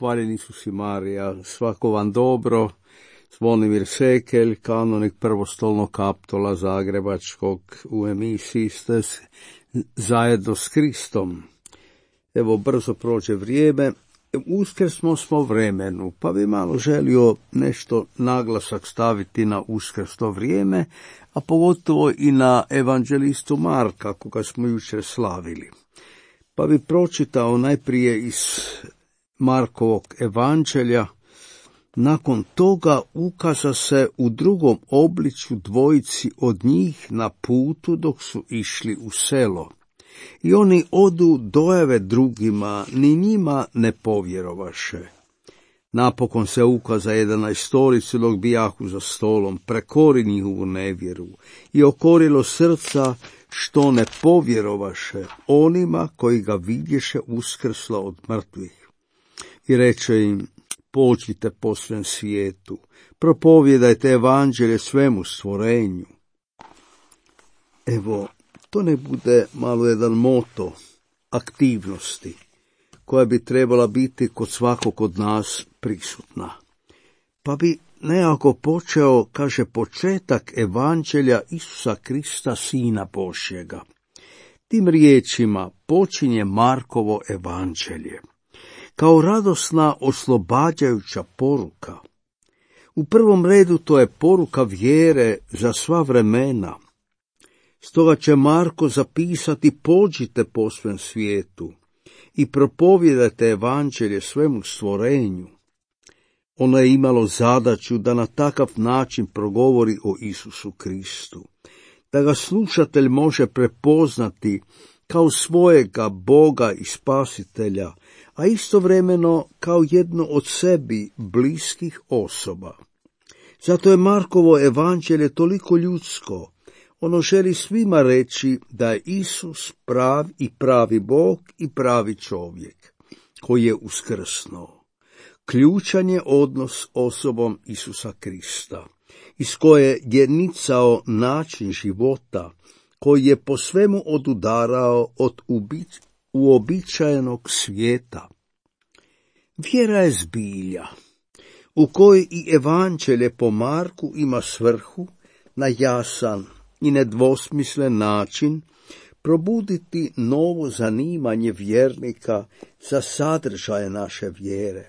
hvaljen Isus i Marija, svako vam dobro. Zvonimir Sekelj, kanonik prvostolnog kaptola Zagrebačkog, u emisiji ste zajedno s Kristom. Evo, brzo prođe vrijeme, uskrsmo smo vremenu, pa bi malo želio nešto naglasak staviti na uskrsno vrijeme, a pogotovo i na evanđelistu Marka, koga smo jučer slavili. Pa bi pročitao najprije iz Markovog evanđelja. Nakon toga ukaza se u drugom obličju dvojici od njih na putu dok su išli u selo. I oni odu dojave drugima, ni njima ne povjerovaše. Napokon se ukaza 11 dok bijahu za stolom, prekori njihovu nevjeru i okorilo srca što ne povjerovaše onima koji ga vidješe uskrsla od mrtvih. I reče im, pođite po svem svijetu, propovjedajte evanđelje svemu stvorenju. Evo, to ne bude malo jedan moto aktivnosti koja bi trebala biti kod svakog od nas prisutna. Pa bi nekako počeo, kaže, početak evanđelja Isusa Krista, Sina Božjega. Tim riječima počinje Markovo evanđelje. Kao radosna, oslobađajuća poruka. U prvom redu to je poruka vjere za sva vremena. Stoga će Marko zapisati, pođite po svem svijetu i propovjedajte evanđelje svemu stvorenju. Ono je imalo zadaću da na takav način progovori o Isusu Kristu, da ga slušatelj može prepoznati kao svojega Boga i Spasitelja, a istovremeno kao jednu od sebi bliskih osoba. Zato je Markovo evanđelje toliko ljudsko. Ono želi svima reći da je Isus pravi Bog i pravi čovjek, koji je uskrsnuo. Ključan je odnos osobom Isusa Krista, iz koje je nicao način života, koji je po svemu odudarao od uobičajenog svijeta. Vjera je zbilja, u kojoj i evanđelje po Marku ima svrhu na jasan i nedvosmislen način probuditi novo zanimanje vjernika za sadržaje naše vjere,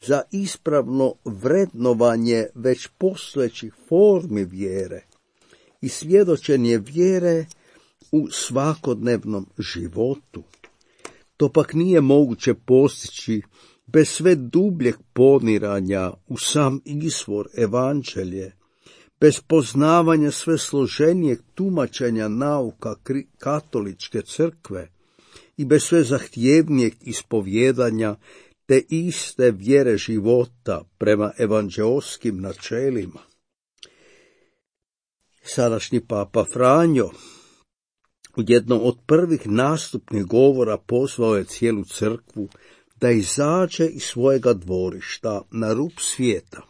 za ispravno vrednovanje već postojećih formi vjere i svjedočenje vjere u svakodnevnom životu. To pak nije moguće postići bez sve dubljeg poniranja u sam izvor evanđelje, bez poznavanja sve složenijeg tumačenja nauka katoličke crkve i bez sve zahtjevnijeg ispovjedanja te iste vjere života prema evanđeoskim načelima. Sadašnji papa Franjo u jednom od prvih nastupnih govora pozvao je cijelu crkvu da izađe iz svojega dvorišta na rub svijeta.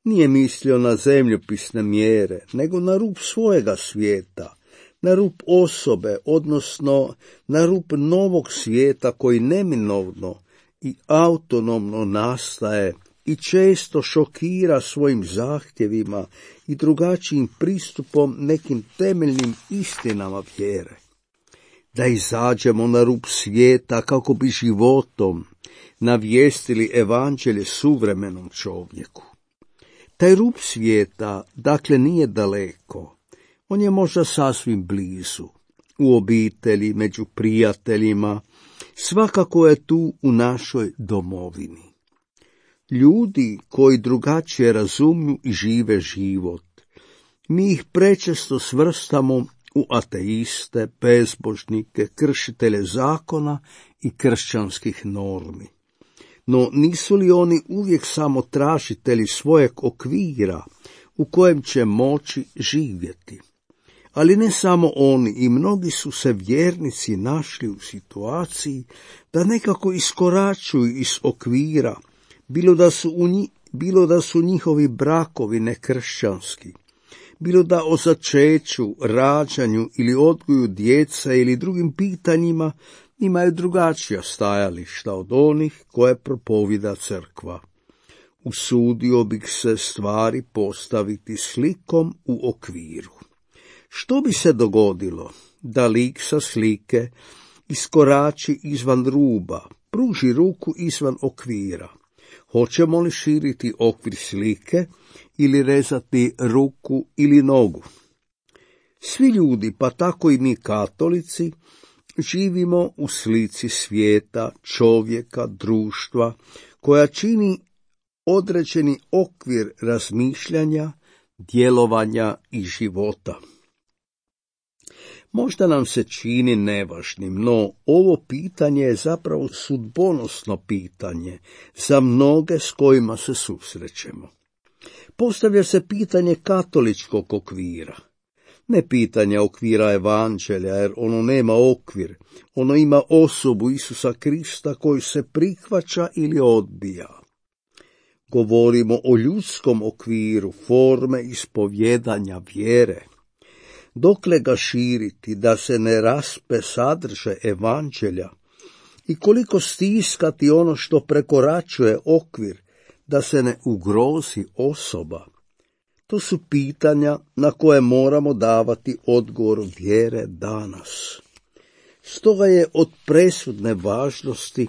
Nije mislio na zemljopisne mjere, nego na rub svojega svijeta, na rub osobe, odnosno na rub novog svijeta koji neminovno i autonomno nastaje i često šokira svojim zahtjevima i drugačijim pristupom nekim temeljnim istinama vjere. Da izađemo na rub svijeta kako bi životom navijestili evanđelje suvremenom čovjeku. Taj rub svijeta, dakle, nije daleko. On je možda sasvim blizu, u obitelji, među prijateljima, svakako je tu u našoj domovini. Ljudi koji drugačije razumiju i žive život, mi ih prečesto svrstamo u ateiste, bezbožnike, kršitelje zakona i kršćanskih normi. No nisu li oni uvijek samo tražitelji svojeg okvira u kojem će moći živjeti? Ali ne samo oni, i mnogi su se vjernici našli u situaciji da nekako iskoračuju iz okvira, bilo da su njihovi brakovi nekršćanski, bilo da o začeću, rađanju ili odgoju djeca ili drugim pitanjima imaju drugačija stajališta od onih koje propovida crkva. Usudio bih se stvari postaviti slikom u okviru. Što bi se dogodilo da lik sa slike iskorači izvan ruba, pruži ruku izvan okvira? Hoćemo li širiti okvir slike ili rezati ruku ili nogu? Svi ljudi, pa tako i mi katolici, živimo u slici svijeta, čovjeka, društva, koja čini određeni okvir razmišljanja, djelovanja i života. Možda nam se čini nevažnim, no ovo pitanje je zapravo sudbonosno pitanje za mnoge s kojima se susrećemo. Postavlja se pitanje katoličkog okvira. Ne pitanje okvira evanđelja, jer ono nema okvir, ono ima osobu Isusa Krista koju se prihvaća ili odbija. Govorimo o ljudskom okviru, forme ispovjedanja vjere. Dokle ga širiti da se ne raspe sadržaj evanđelja i koliko stiskati ono što prekoračuje okvir da se ne ugrozi osoba? To su pitanja na koje moramo davati odgovor vjere danas. Stoga je od presudne važnosti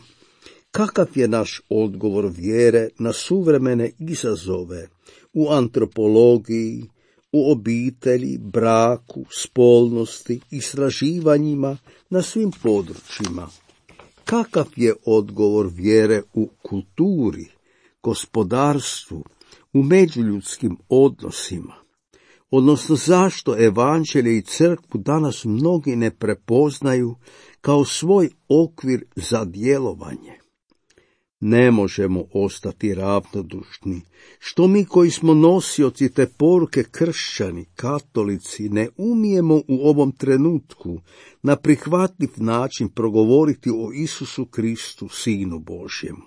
kakav je naš odgovor vjere na suvremene izazove u antropologiji, u obitelji, braku, spolnosti, istraživanjima na svim područjima. Kakav je odgovor vjere u kulturi, gospodarstvu, u međuljudskim odnosima? Odnosno zašto evanđelje i crkvu danas mnogi ne prepoznaju kao svoj okvir za djelovanje? Ne možemo ostati ravnodušni, što mi koji smo nosioci te poruke kršćani, katolici, ne umijemo u ovom trenutku na prihvatljiv način progovoriti o Isusu Kristu, Sinu Božjemu.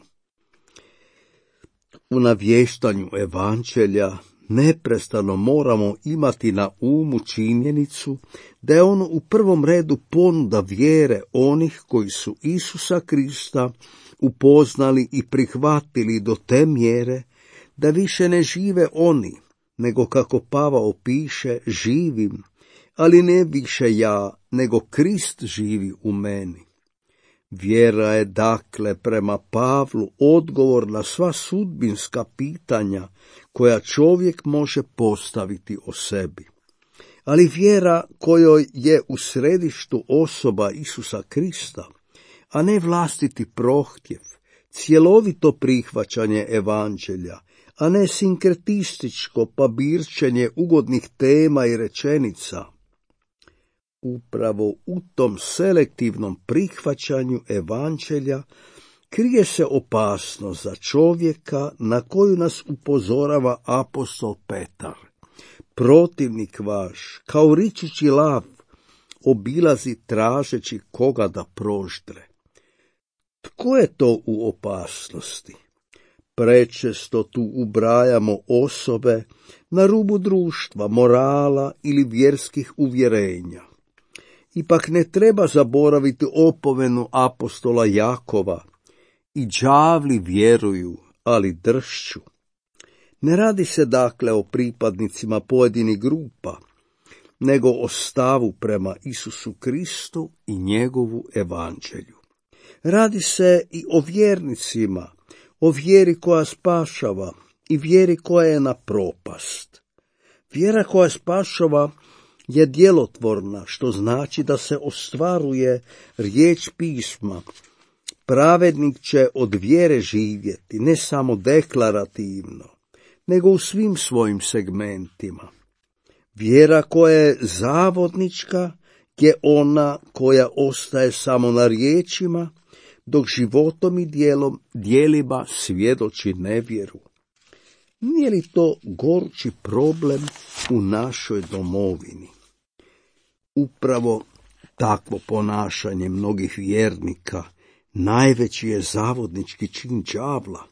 U navještanju evanđelja neprestano moramo imati na umu činjenicu da je ono u prvom redu ponuda vjere onih koji su Isusa Krista upoznali i prihvatili do te mjere da više ne žive oni, nego kako Pavao piše, živim, ali ne više ja, nego Krist živi u meni. Vjera je dakle prema Pavlu odgovor na sva sudbinska pitanja koja čovjek može postaviti o sebi. Ali vjera kojoj je u središtu osoba Isusa Krista, a ne vlastiti prohtjev, cjelovito prihvaćanje evanđelja, a ne sinkretističko pabirčenje ugodnih tema i rečenica. Upravo u tom selektivnom prihvaćanju evanđelja krije se opasnost za čovjeka na koju nas upozorava apostol Petar. Protivnik vaš, kao ričući lav, obilazi tražeći koga da proždre. Tko je to u opasnosti? Prečesto tu ubrajamo osobe na rubu društva, morala ili vjerskih uvjerenja. Ipak ne treba zaboraviti opomenu apostola Jakova: i đavli vjeruju, ali dršću. Ne radi se dakle o pripadnicima pojedinih grupa, nego o stavu prema Isusu Kristu i njegovu evanđelju. Radi se i o vjernicima, o vjeri koja spašava i vjeri koja je na propast. Vjera koja spašava je djelotvorna, što znači da se ostvaruje riječ pisma. Pravednik će od vjere živjeti, ne samo deklarativno, nego u svim svojim segmentima. Vjera koja je zavodnička je ona koja ostaje samo na riječima, dok životom i djelima svjedoči nevjeru. Nije li to gorući problem u našoj domovini? Upravo takvo ponašanje mnogih vjernika najveći je zavodnički čin đavla.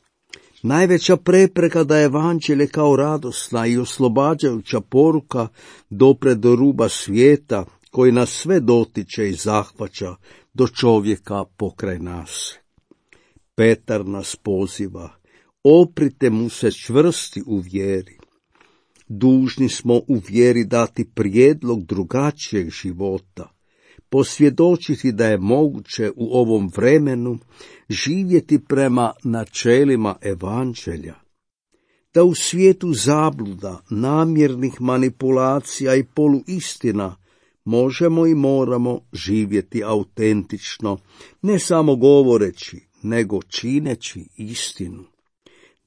Najveća prepreka da evanđelje kao radosna i oslobađajuća poruka dopre do ruba svijeta koji nas sve dotiče i zahvaća do čovjeka pokraj nas. Petar nas poziva, oprite mu se čvrsti u vjeri. Dužni smo u vjeri dati prijedlog drugačijeg života, posvjedočiti da je moguće u ovom vremenu živjeti prema načelima evanđelja, da u svijetu zabluda, namjernih manipulacija i poluistina možemo i moramo živjeti autentično, ne samo govoreći, nego čineći istinu,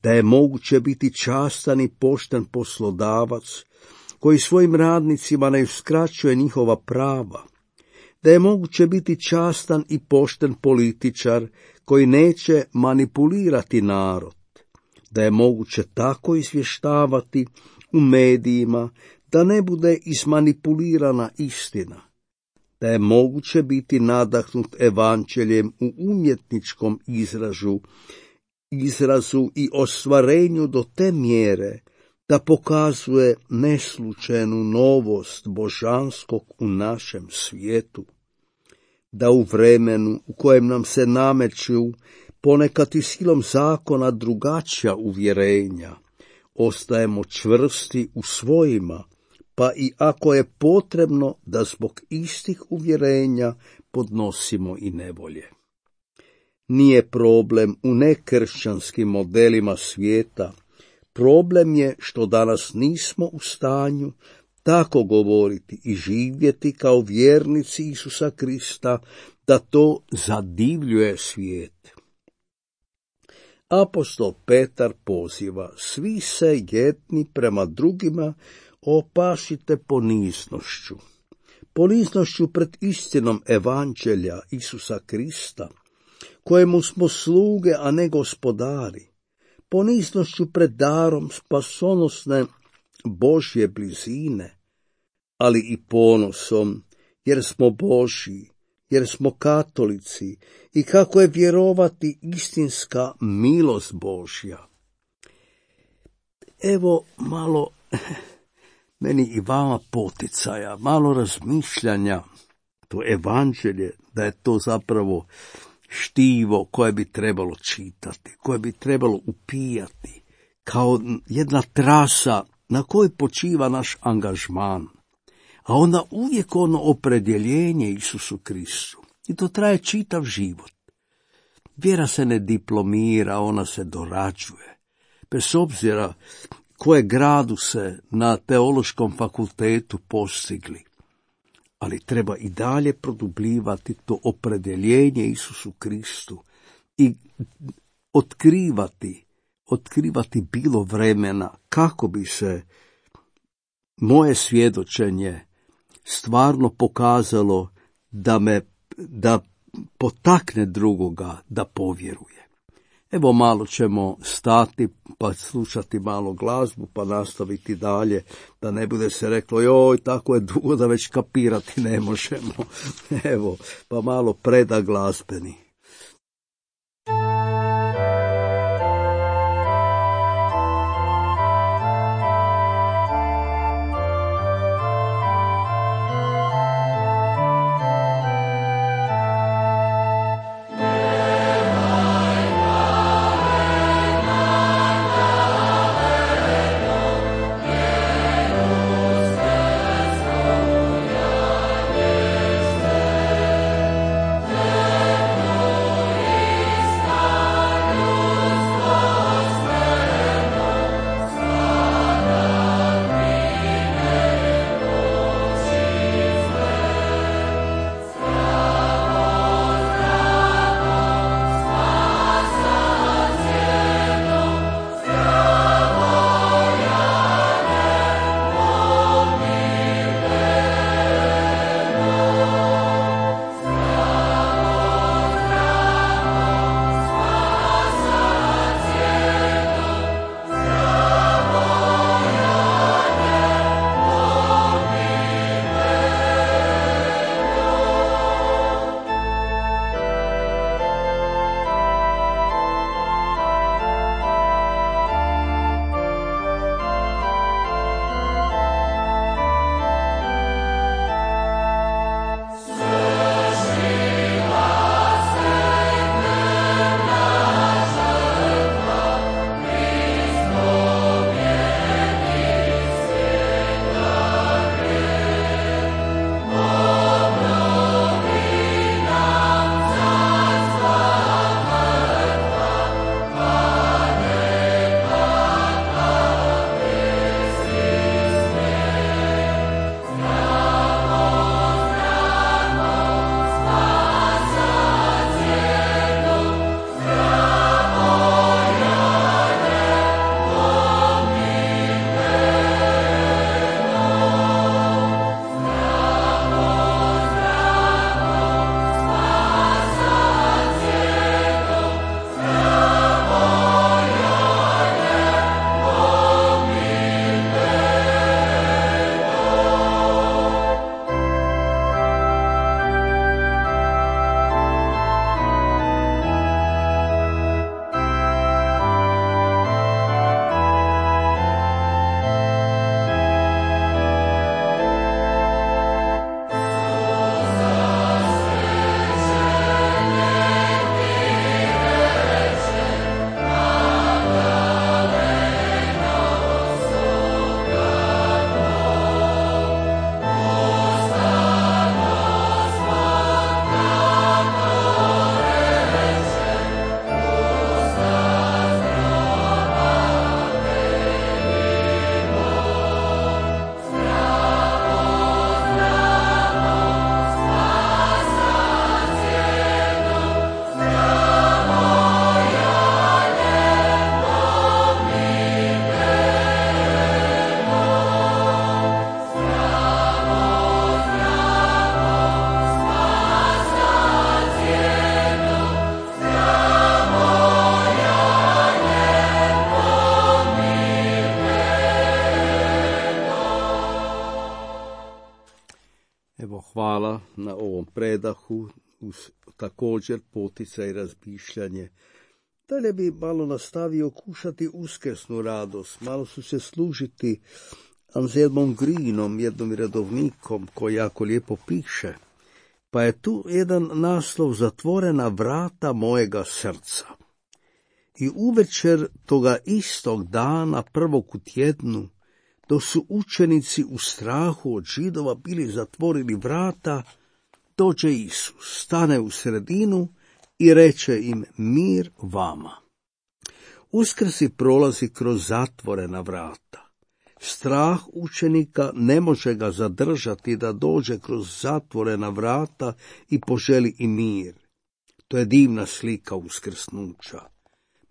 da je moguće biti častan i pošten poslodavac koji svojim radnicima ne uskraćuje njihova prava, da je moguće biti častan i pošten političar koji neće manipulirati narod, da je moguće tako izvještavati u medijima da ne bude izmanipulirana istina, da je moguće biti nadahnut evanđeljem u umjetničkom izrazu i ostvarenju do te mjere da pokazuje neslučajnu novost božanskog u našem svijetu, da u vremenu u kojem nam se nameću ponekad i silom zakona drugačija uvjerenja, ostajemo čvrsti u svojima, pa i ako je potrebno da zbog istih uvjerenja podnosimo i nevolje. Nije problem u nekršćanskim modelima svijeta, problem je što danas nismo u stanju tako govoriti i živjeti kao vjernici Isusa Krista, da to zadivljuje svijet. Apostol Petar poziva, svi se jedni prema drugima opasite poniznošću pred istinom evanđelja Isusa Krista, kojemu smo sluge, a ne gospodari, poniznošću pred darom spasonosne Božje blizine, ali i ponosom, jer smo Božji, jer smo katolici i kako je vjerovati istinska milost Božja. Evo malo meni i vama poticaja, malo razmišljanja, to evanđelje, da je to zapravo štivo koje bi trebalo čitati, koje bi trebalo upijati, kao jedna trasa na kojoj počiva naš angažman, a onda uvijek ono opredjeljenje Isusu Kristu. I to traje čitav život. Vjera se ne diplomira, ona se dorađuje. Bez obzira koje gradu se na teološkom fakultetu postigli, ali treba i dalje produbljivati to opredjeljenje Isusu Kristu i otkrivati bilo vremena kako bi se moje svjedočenje stvarno pokazalo da potakne drugoga da povjeruje. Evo malo ćemo stati pa slušati malo glazbu pa nastaviti dalje, da ne bude se reklo joj tako je dugo da već kapirati ne možemo. Evo pa malo preda glazbeni. Evo, hvala na ovom predahu, uz također poticaj i razmišljanje. Dalje bi malo nastavio kušati uskrsnu radost, malo su se služiti Anselmom Greenom, jednom redovnikom koji jako lijepo piše. Pa je tu jedan naslov: Zatvorena vrata mojega srca. I uvečer toga istog dana, prvog u tjednu, dok su učenici u strahu od Židova bili zatvorili vrata, dođe Isus, stane u sredinu i reče im: mir vama. Uskrsi prolazi kroz zatvorena vrata. Strah učenika ne može ga zadržati da dođe kroz zatvorena vrata i poželi i mir. To je divna slika uskrsnuća.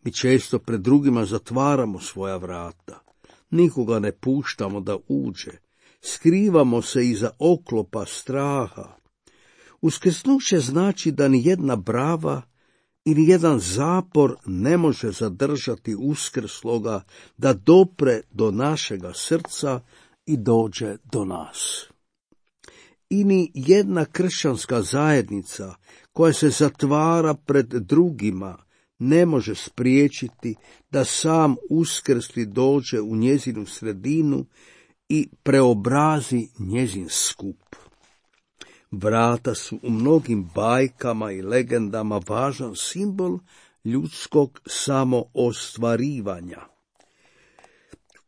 Mi često pred drugima zatvaramo svoja vrata. Nikoga ne puštamo da uđe. Skrivamo se iza oklopa straha. Uskrsnuće znači da ni jedna brava i ni jedan zapor ne može zadržati uskrsloga da dopre do našega srca i dođe do nas. I ni jedna kršćanska zajednica koja se zatvara pred drugima ne može spriječiti da sam uskrsli dođe u njezinu sredinu i preobrazi njezin skup. Vrata su u mnogim bajkama i legendama važan simbol ljudskog samoostvarivanja.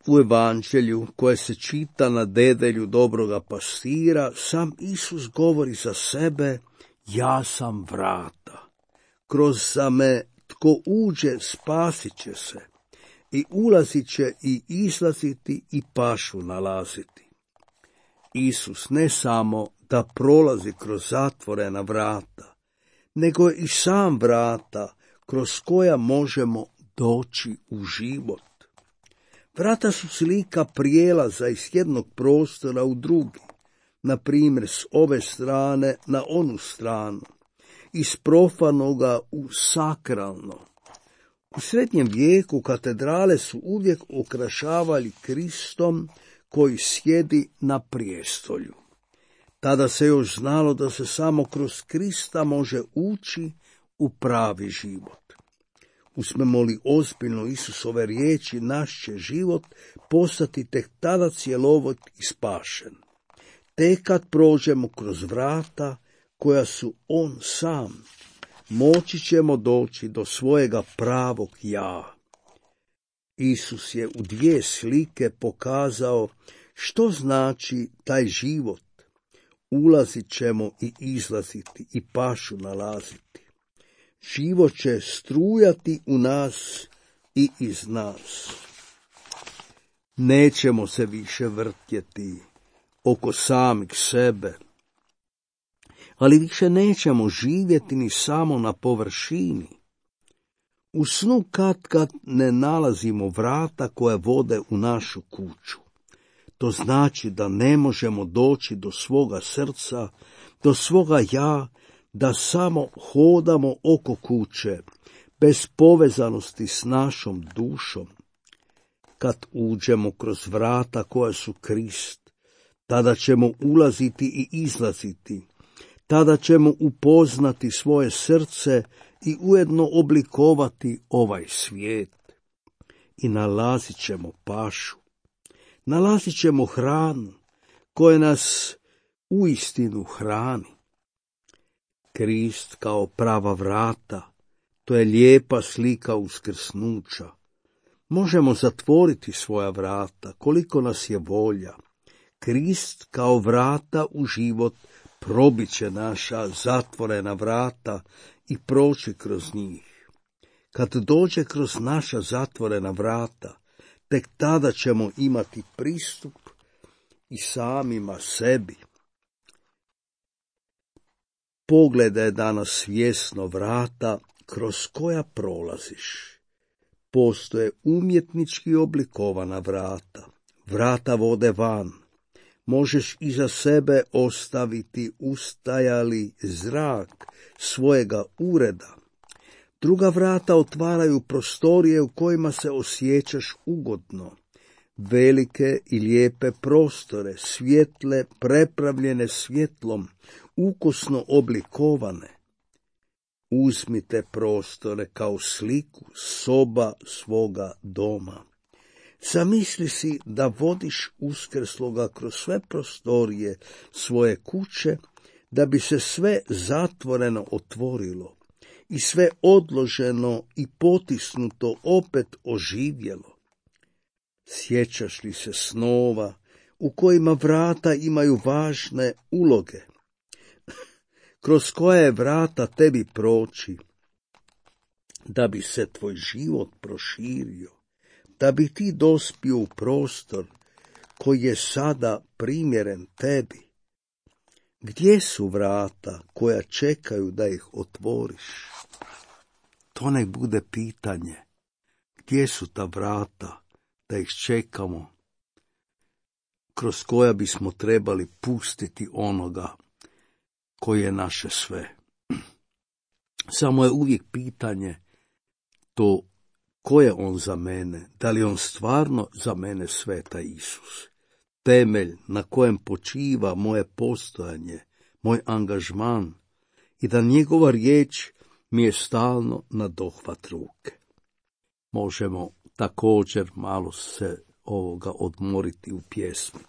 U evanđelju koje se čita na dedelju dobroga pastira, sam Isus govori za sebe: ja sam vrata. Kroz me tko uđe spasit će se, i ulazit će i izlaziti i pašu nalaziti. Isus ne samo da prolazi kroz zatvorena vrata, nego je i sam vrata kroz koja možemo doći u život. Vrata su slika prijelaza iz jednog prostora u drugi, na primjer s ove strane na onu stranu, iz profanoga u sakralno. U srednjem vijeku katedrale su uvijek okrašavali Kristom koji sjedi na prijestolju. Tada se još znalo da se samo kroz Krista može ući u pravi život. Uzmemo li ozbiljno Isusove riječi, naš će život postati tek tada cjelovit i spašen. Tek kad prođemo kroz vrata koja su on sam, moći ćemo doći do svojega pravog ja. Isus je u 2 slike pokazao što znači taj život. Ulazit ćemo i izlaziti i pašu nalaziti. Život će strujati u nas i iz nas. Nećemo se više vrtjeti oko samih sebe, ali više nećemo živjeti ni samo na površini. U snu kad ne nalazimo vrata koja vode u našu kuću. To znači da ne možemo doći do svoga srca, do svoga ja, da samo hodamo oko kuće, bez povezanosti s našom dušom. Kad uđemo kroz vrata koja su Krist, tada ćemo ulaziti i izlaziti, tada ćemo upoznati svoje srce i ujedno oblikovati ovaj svijet. I nalazit ćemo pašu. Nalazit ćemo hranu koja nas uistinu hrani. Krist kao prava vrata, to je lijepa slika uskrsnuća. Možemo zatvoriti svoja vrata koliko nas je volja. Krist kao vrata u život probit će naša zatvorena vrata i proći kroz njih. Kad dođe kroz naša zatvorena vrata, tek tada ćemo imati pristup i samima sebi. Pogledaj danas svjesno vrata kroz koja prolaziš. Postoje umjetnički oblikovana vrata. Vrata vode van. Možeš iza sebe ostaviti ustajali zrak svojega ureda. Druga vrata otvaraju prostorije u kojima se osjećaš ugodno. velike i lijepe prostore, svjetle, prepravljene svjetlom, ukusno oblikovane. Uzmi te prostore kao sliku soba svoga doma. Zamisli si da vodiš uskrsloga kroz sve prostorije svoje kuće, da bi se sve zatvoreno otvorilo i sve odloženo i potisnuto opet oživjelo. Sjećaš li se snova u kojima vrata imaju važne uloge, kroz koje vrata tebi proći, da bi se tvoj život proširio, da bi ti dospio u prostor koji je sada primjeren tebi? Gdje su vrata koja čekaju da ih otvoriš? To nek bude pitanje. Gdje su ta vrata da ih čekamo, kroz koja bismo trebali pustiti onoga koji je naše sve? Samo je uvijek pitanje to, ko je on za mene? Da li on stvarno za mene sve, taj Isus? Temelj na kojem počiva moje postojanje, moj angažman, i da njegova riječ mi je stalno na dohvat ruke. Možemo također malo se ovoga odmoriti u pjesmi.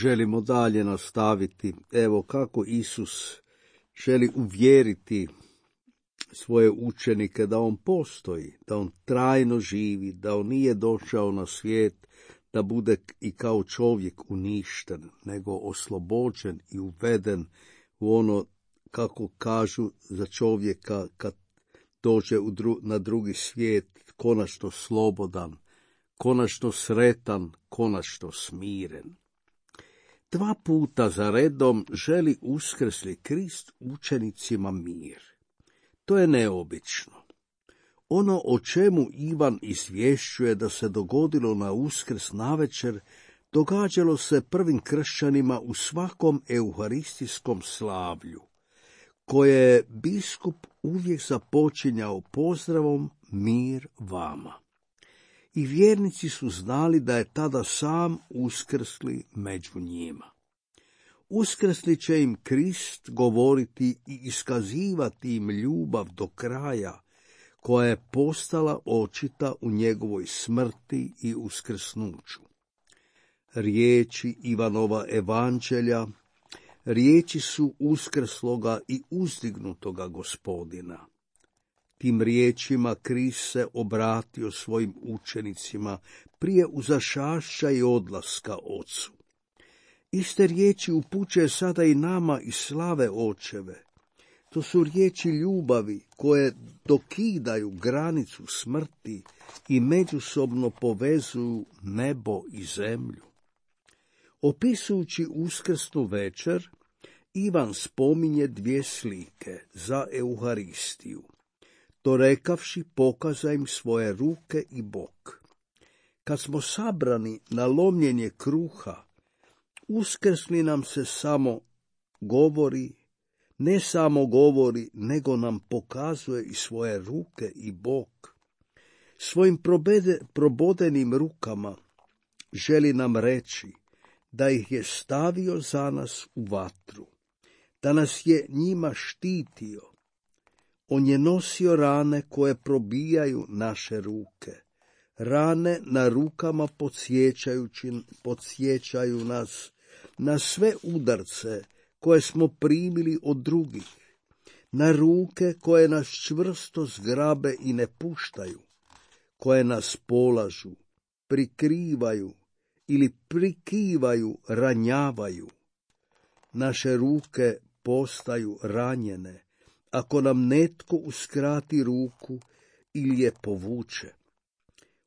Želimo dalje nastaviti. Evo kako Isus želi uvjeriti svoje učenike da on postoji, da on trajno živi, da on nije došao na svijet da bude i kao čovjek uništen, nego oslobođen i uveden u ono, kako kažu za čovjeka kad dođe na drugi svijet, konačno slobodan, konačno sretan, konačno smiren. 2 puta za redom želi uskrsli Krist učenicima mir. To je neobično. Ono o čemu Ivan izvješćuje da se dogodilo na Uskrs navečer, događalo se prvim kršćanima u svakom euharistijskom slavlju, koje je biskup uvijek započinjao pozdravom mir vama. I vjernici su znali da je tada sam uskrsli među njima. Uskrsli će im Krist govoriti i iskazivati im ljubav do kraja, koja je postala očita u njegovoj smrti i uskrsnuću. Riječi Ivanova evanđelja, riječi su uskrsloga i uzdignutoga Gospodina. Tim riječima Krist se obratio svojim učenicima prije uzašašća i odlaska Ocu. Iste riječi upućuje sada i nama i slave Očeve. To su riječi ljubavi koje dokidaju granicu smrti i međusobno povezuju nebo i zemlju. Opisujući uskrsnu večer, Ivan spominje dvije slike za Euharistiju. To rekavši, pokaza im svoje ruke i bok. Kad smo sabrani na lomljenje kruha, uskrsni nam se samo govori, ne samo govori, nego nam pokazuje i svoje ruke i bok. Svojim probodenim rukama želi nam reći da ih je stavio za nas u vatru, da nas je njima štitio. On je nosio rane koje probijaju naše ruke. Rane na rukama podsjećaju nas na sve udarce koje smo primili od drugih, na ruke koje nas čvrsto zgrabe i ne puštaju, koje nas polažu, prikrivaju ili prikivaju, ranjavaju. Naše ruke postaju ranjene ako nam netko uskrati ruku ili je povuče.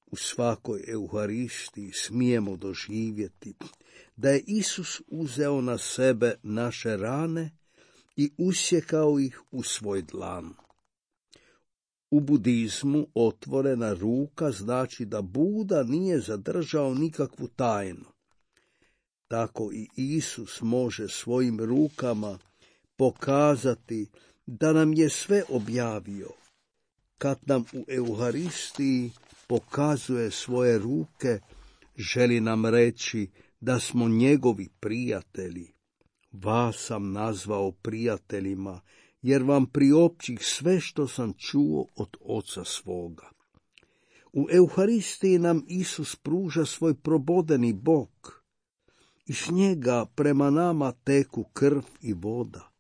U svakoj Euharistiji smijemo doživjeti da je Isus uzeo na sebe naše rane i usjekao ih u svoj dlan. U budizmu otvorena ruka znači da Buda nije zadržao nikakvu tajnu. Tako i Isus može svojim rukama pokazati da nam je sve objavio. Kad nam u Euharistiji pokazuje svoje ruke, želi nam reći da smo njegovi prijatelji. Vas sam nazvao prijateljima, jer vam priopćih sve što sam čuo od Oca svoga. U Euharistiji nam Isus pruža svoj probodeni bok. Iz njega prema nama teku krv i voda.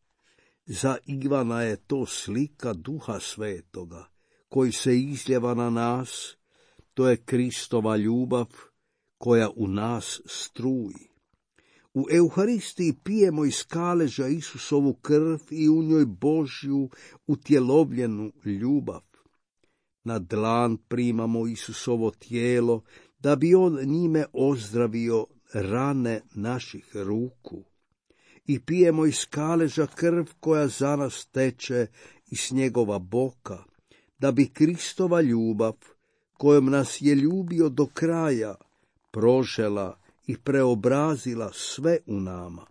Za Ivana je to slika Duha Svetoga, koji se izljeva na nas. To je Kristova ljubav koja u nas struji. U Euharistiji pijemo iz kaleža Isusovu krv i u njoj Božju utjelovljenu ljubav. Na dlan primamo Isusovo tijelo, da bi on njime ozdravio rane naših ruku. I pijemo iz kaleža krv koja za nas teče iz njegova boka, da bi Kristova ljubav, kojom nas je ljubio do kraja, prožela i preobrazila sve u nama.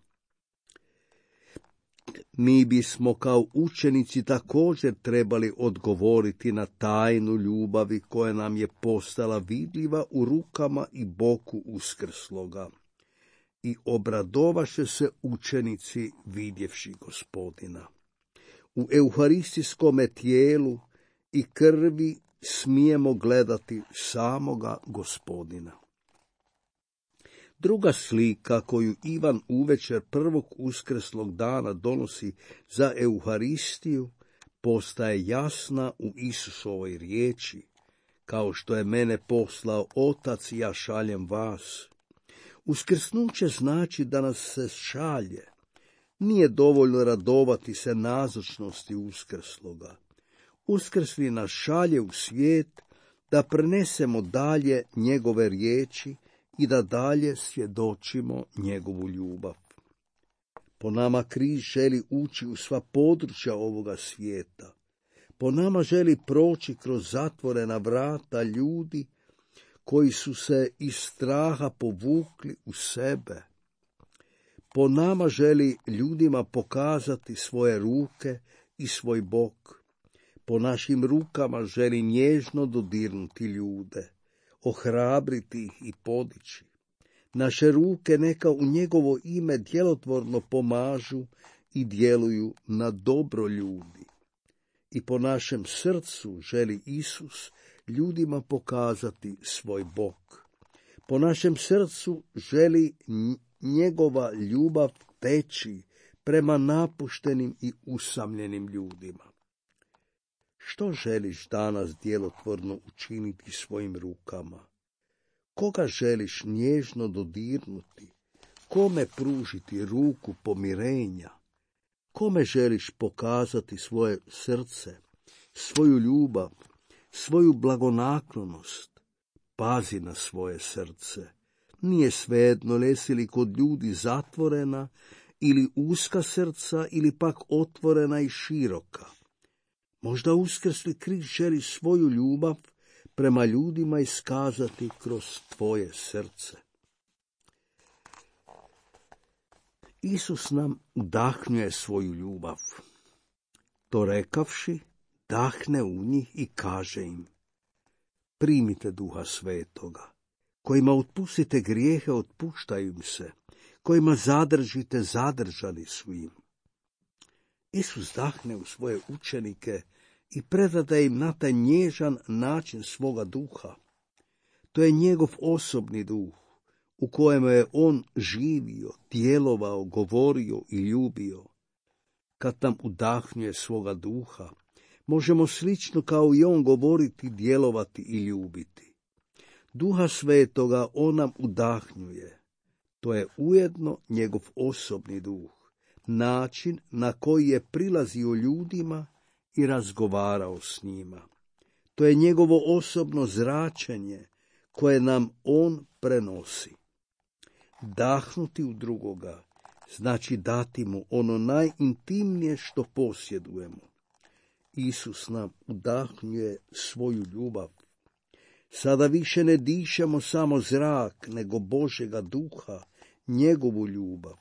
Mi bismo kao učenici također trebali odgovoriti na tajnu ljubavi koja nam je postala vidljiva u rukama i boku uskrsloga. I obradovaše se učenici vidjevši Gospodina. U euharistijskome tijelu i krvi smijemo gledati samoga Gospodina. Druga slika koju Ivan uvečer prvog uskrslog dana donosi za Euharistiju postaje jasna u Isusovoj riječi, kao što je mene poslao Otac, ja šaljem vas. Uskrsnuće znači da nas se šalje. Nije dovoljno radovati se nazočnosti uskrsloga. Uskrsli nas šalje u svijet da prenesemo dalje njegove riječi i da dalje svjedočimo njegovu ljubav. Po nama križ želi ući u sva područja ovoga svijeta. Po nama želi proći kroz zatvorena vrata ljudi koji su se iz straha povukli u sebe. Po nama želi ljudima pokazati svoje ruke i svoj bok. Po našim rukama želi nježno dodirnuti ljude, ohrabriti ih i podići. Naše ruke neka u njegovo ime djelotvorno pomažu i djeluju na dobro ljudi. I po našem srcu želi Isus ljudima pokazati svoj bok. Po našem srcu želi njegova ljubav teći prema napuštenim i usamljenim ljudima. Što želiš danas djelotvorno učiniti svojim rukama? Koga želiš nježno dodirnuti? Kome pružiti ruku pomirenja? Kome želiš pokazati svoje srce, svoju ljubav, svoju blagonaklonost? Pazi na svoje srce. Nije svejedno jesi li kod ljudi zatvorena ili uska srca ili pak otvorena i široka. Možda uskrsli Krist želi svoju ljubav prema ljudima iskazati kroz tvoje srce. Isus nam udahnjuje svoju ljubav. To rekavši, dahne u njih i kaže im: primite Duha Svetoga. Kojima otpustite grijehe, otpuštaju im se. Kojima zadržite, zadržani su im. Isus dahne u svoje učenike i predade im na taj nježan način svoga duha. To je njegov osobni duh, u kojem je on živio, djelovao, govorio i ljubio. Kad nam udahnjuje svoga duha, možemo slično kao i on govoriti, djelovati i ljubiti. Duha Svetoga on nam udahnjuje. To je ujedno njegov osobni duh, način na koji je prilazio ljudima i razgovarao s njima. To je njegovo osobno zračenje koje nam on prenosi. Dahnuti u drugoga znači dati mu ono najintimnije što posjedujemo. Isus nam udahnjuje svoju ljubav. Sada više ne dišemo samo zrak, nego Božjega duha, njegovu ljubav.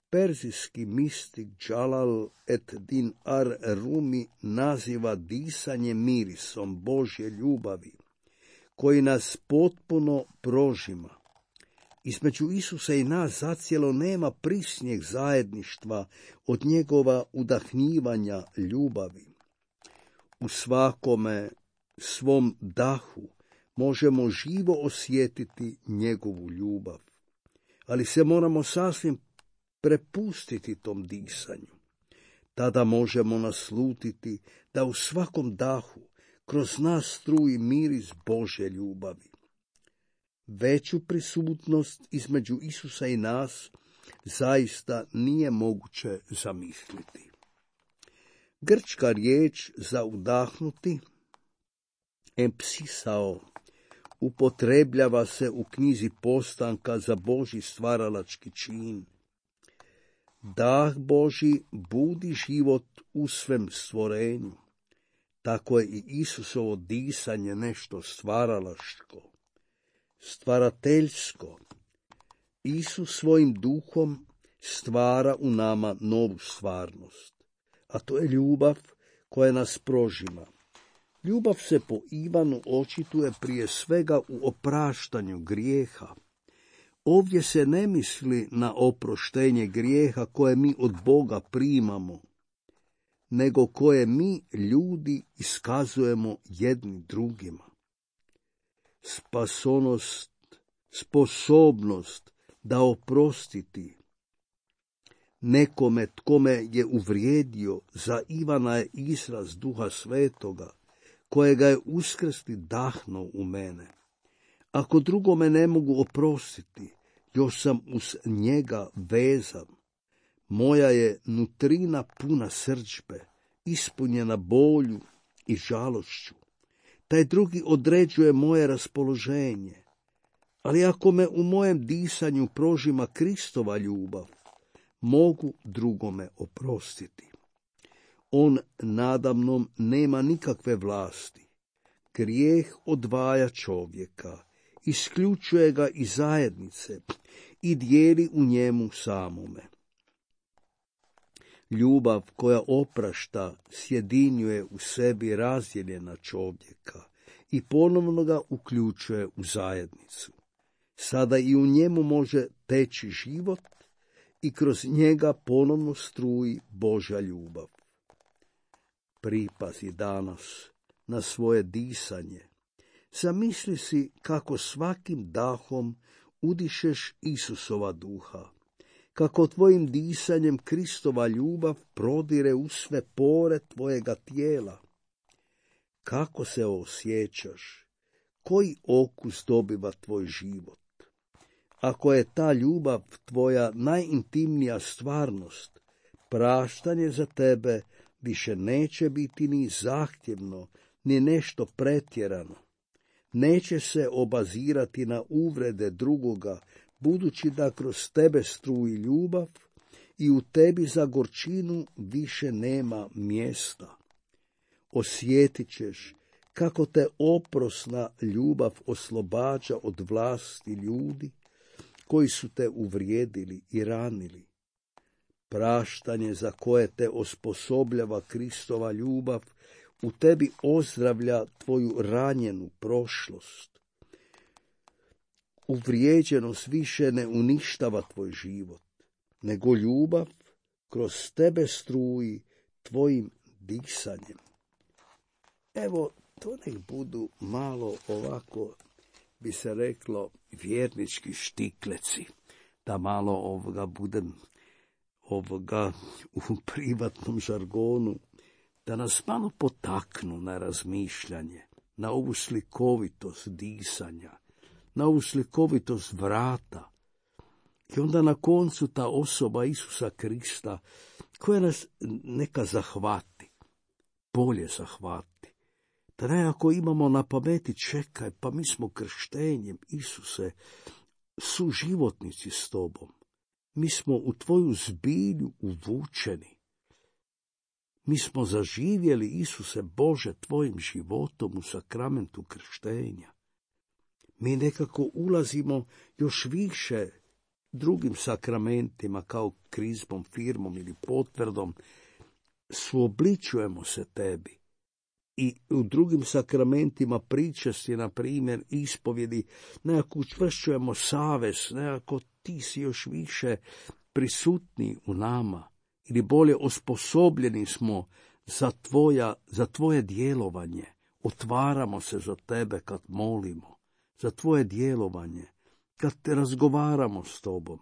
Perzijski mistik Džalal ed-Din ar-Rumi naziva disanje mirisom Božje ljubavi, koji nas potpuno prožima. Između Isusa i nas zacijelo nema prisnjeg zajedništva od njegova udahnjivanja ljubavi. U svakome svom dahu možemo živo osjetiti njegovu ljubav, ali se moramo sasvim prepustiti tom disanju. Tada možemo naslutiti da u svakom dahu kroz nas struji miris Božje ljubavi. Veću prisutnost između Isusa i nas zaista nije moguće zamisliti. Grčka riječ za udahnuti, empsisao, upotrebljava se u knjizi Postanka za Božji stvaralački čin. Dah Božji budi život u svem stvorenju. Tako je i Isusovo disanje nešto stvaralačko, stvarateljsko. Isus svojim duhom stvara u nama novu stvarnost, a to je ljubav koja nas prožima. Ljubav se po Ivanu očituje prije svega u opraštanju grijeha. Ovdje se ne misli na oproštenje grijeha koje mi od Boga primamo, nego koje mi, ljudi, iskazujemo jedni drugima. Spasonost, sposobnost da oprostiti nekome tkome je uvrijedio, za Ivana je izraz Duha Svetoga, kojega je uskrsli dahnuo u mene. Ako drugome ne mogu oprostiti, još sam uz njega vezan. Moja je nutrina puna srdžbe, ispunjena bolju i žalošću. Taj drugi određuje moje raspoloženje. Ali ako me u mojem disanju prožima Kristova ljubav, mogu drugome oprostiti. On nadamnom nema nikakve vlasti. Grijeh odvaja čovjeka, isključuje ga iz zajednice i dijeli u njemu samome. Ljubav koja oprašta sjedinjuje u sebi razdijeljena čovjeka i ponovno ga uključuje u zajednicu. Sada i u njemu može teći život i kroz njega ponovno struji Božja ljubav. Pripazi danas na svoje disanje. Zamisli si kako svakim dahom udišeš Isusova duha, kako tvojim disanjem Kristova ljubav prodire u sve pore tvojega tijela. Kako se osjećaš? Koji okus dobiva tvoj život? Ako je ta ljubav tvoja najintimnija stvarnost, praštanje za tebe više neće biti ni zahtjevno, ni nešto pretjerano. Neće se obazirati na uvrede drugoga, budući da kroz tebe struji ljubav i u tebi za gorčinu više nema mjesta. Osjetit ćeš kako te oprosna ljubav oslobađa od vlasti ljudi koji su te uvrijedili i ranili. Praštanje za koje te osposobljava Kristova ljubav u tebi ozdravlja tvoju ranjenu prošlost. Uvrijeđenost više ne uništava tvoj život, nego ljubav kroz tebe struji tvojim disanjem. Evo, to nek budu malo ovako, bi se reklo, vjernički štikleci, da malo budem u privatnom žargonu, da nas malo potaknu na razmišljanje, na ovu slikovitost disanja, na ovu slikovitost vrata. I onda na koncu ta osoba Isusa Krista, koja nas neka zahvati, bolje zahvati. Da nekako imamo na pameti, čekaj, pa mi smo krštenjem, Isuse, suživotnici s tobom. Mi smo u tvoju zbilju uvučeni. Mi smo zaživjeli, Isuse Bože, tvojim životom u sakramentu krštenja. Mi nekako ulazimo još više drugim sakramentima, kao krizmom, firmom ili potvrdom, suobličujemo se tebi. I u drugim sakramentima pričasti, na primjer, ispovjedi, nekako učvršćujemo savez, nekako ti si još više prisutni u nama, ili bolje osposobljeni smo za tvoje djelovanje. Otvaramo se za tebe kad molimo, za tvoje djelovanje, kad te razgovaramo s tobom,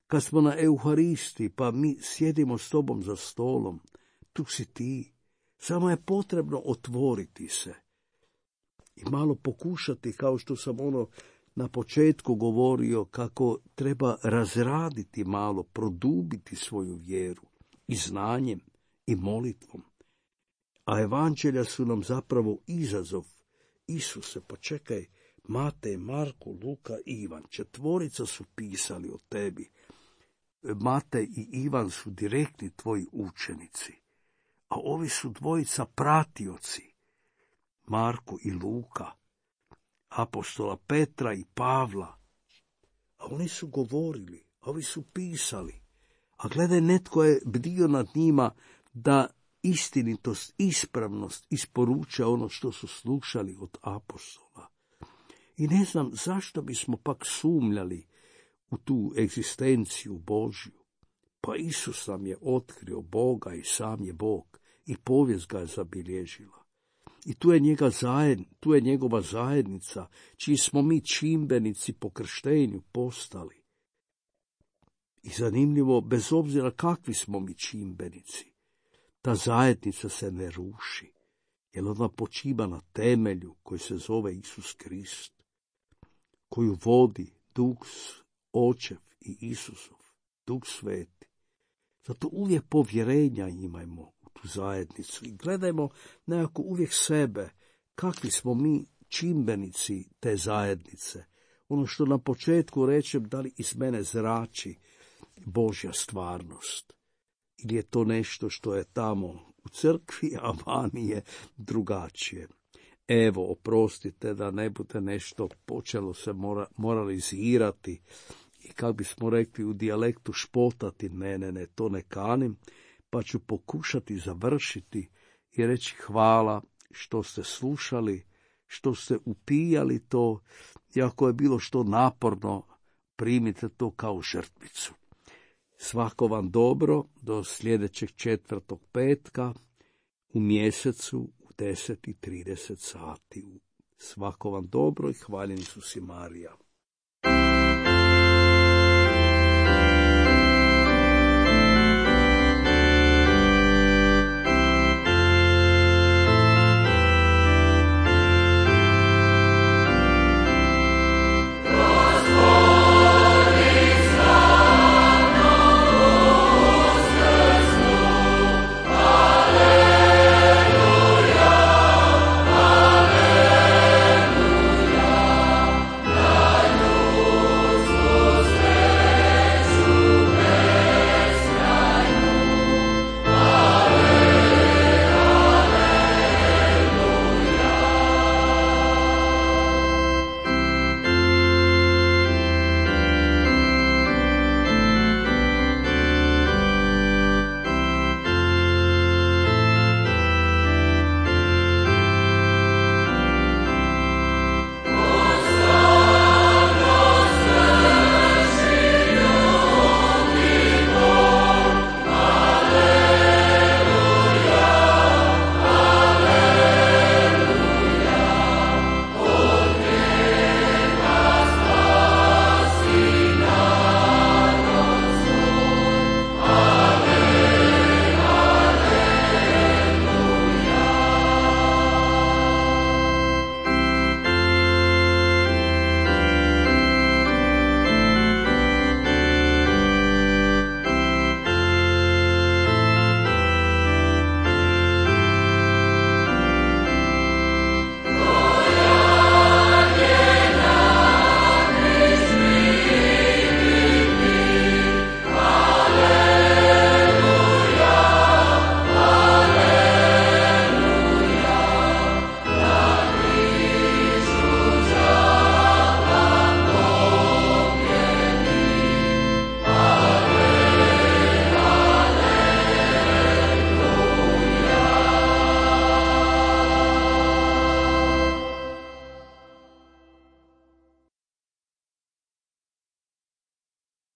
kad smo na Euharisti, pa mi sjedimo s tobom za stolom, tu si ti. Samo je potrebno otvoriti se i malo pokušati, kao što sam na početku govorio, kako treba razraditi malo, produbiti svoju vjeru i znanjem i molitvom. A evanđelja su nam zapravo izazov. Isuse, pa čekaj, Matej, Marko, Luka i Ivan, 4 su pisali o tebi. Matej i Ivan su direktni tvoji učenici. A ovi su 2 pratioci, Marko i Luka, apostola Petra i Pavla. A oni su govorili, a ovi su pisali. A gledaj, netko je bdio nad njima da istinitost, ispravnost isporuče ono što su slušali od apostola. I ne znam zašto bismo pak sumnjali u tu egzistenciju Božju. Pa Isus nam je otkrio Boga i sam je Bog i povijest ga je zabilježila. I tu je njegova zajednica, čiji smo mi čimbenici po krštenju postali. I zanimljivo, bez obzira kakvi smo mi čimbenici, ta zajednica se ne ruši, jer ona počiva na temelju koji se zove Isus Krist, koju vodi Duh Očev i Isusov, Duh Sveti. Zato uvijek povjerenja imajmo u tu zajednicu i gledajmo nekako uvijek sebe, kakvi smo mi čimbenici te zajednice. Ono što na početku rečem, da li iz mene zrači Božja stvarnost, ili je to nešto što je tamo u crkvi, a vani je drugačije. Evo, oprostite da ne bude nešto počelo se moralizirati i kako bismo rekli u dijalektu špotati, ne, to ne kanim, pa ću pokušati završiti i reći hvala što ste slušali, što ste upijali to, i ako je bilo što naporno, primite to kao žrtvicu. Svako vam dobro do sljedećeg 4. petka u mjesecu u 10:30 sati. Svako vam dobro i hvaljen Isus i Marija.